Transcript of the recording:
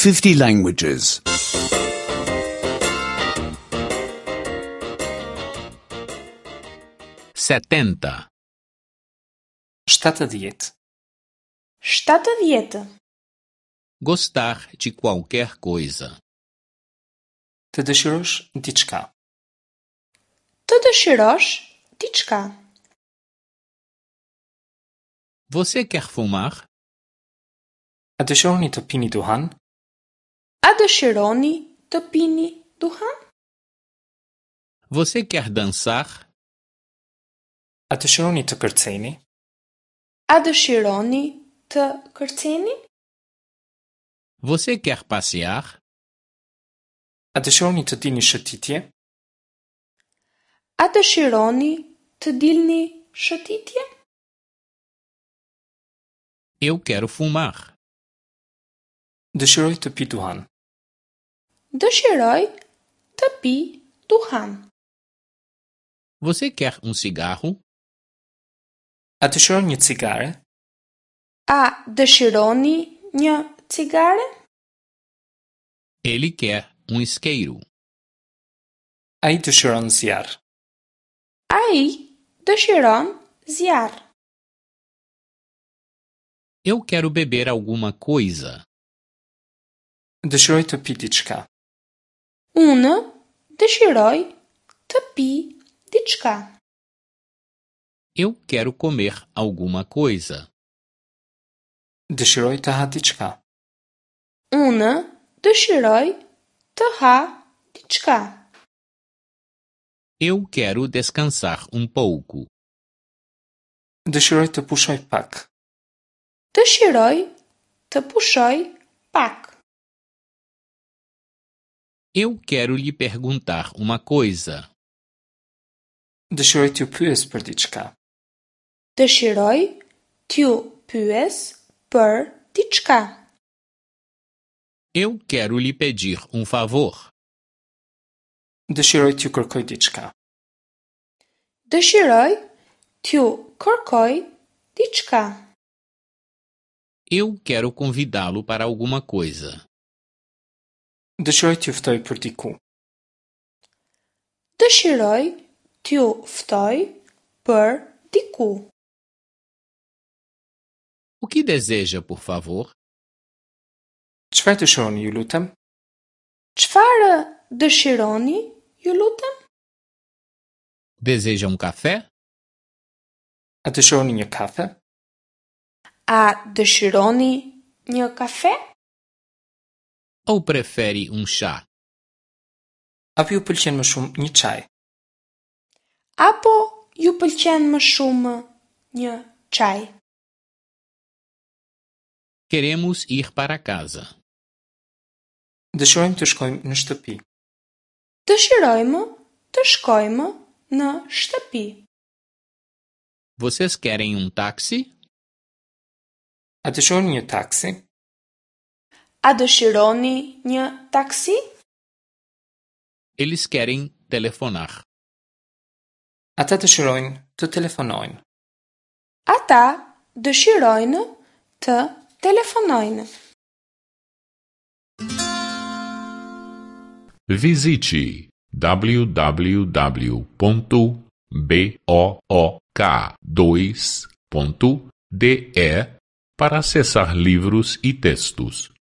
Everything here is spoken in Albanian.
50 languages. 70. 70. 70. Gostar de qualquer coisa. Të dëshirosh diçka. Të dëshirosh diçka. Você quer fumar? A dëshironi të pini duhan? A dëshironi të pini duhan? Você quer dançar? A dëshironi të kërceni? A dëshironi të kërceni? Você quer passear? A dëshironi të dilni shëtitje? A dëshironi të dilni shëtitje? Eu quero fumar. Dëshiroj të pi duhan. Dëshiroj të pi duhan. Você quer um cigarro? A dëshiron një cigare? A dëshironi një cigare? Ele quer um isqueiro. Ai dëshiron zjarr. Ai dëshiron zjarr. Eu quero beber alguma coisa. Dëshiroj të pi diçka. Unë dëshiroj të pi diçka. Eu quero comer alguma coisa. Dëshiroj të ha diçka. Unë dëshiroj të ha diçka. Eu quero descansar um pouco. Dëshiroj të pushoj pak. Dëshiroj të pushoj pak. Eu quero lhe perguntar uma coisa. Dëshiroj t'ju pyes për diçka. Dëshiroj t'ju pyes për diçka. Eu quero lhe pedir um favor. Dëshiroj t'ju kërkoj diçka. Dëshiroj t'ju kërkoj diçka. Eu quero convidá-lo para alguma coisa. Dëshiroj t'ju ftoj për diku. Dëshiroj t'ju ftoj për diku. O que deseja, por favor? Çfarë dëshironi, ju lutem? Çfarë dëshironi, ju lutem? Deseja um café? A dëshironi një kafe? A dëshironi një kafe? Ou prefere um chá? Apo ju pëlqen më shumë një çaj? Apo ju pëlqen më shumë një çaj? Queremos ir para casa. Dëshirojmë të shkojmë në shtëpi. Dëshirojmë të shkojmë në shtëpi. Vocês querem um táxi? A dëshironi një taksi? A dëshironi një taksi? Eles querem telefonar. Ata dëshirojnë të telefonojnë. Ata dëshirojnë të telefonojnë. Visite www.book2.de para acessar livros e textos.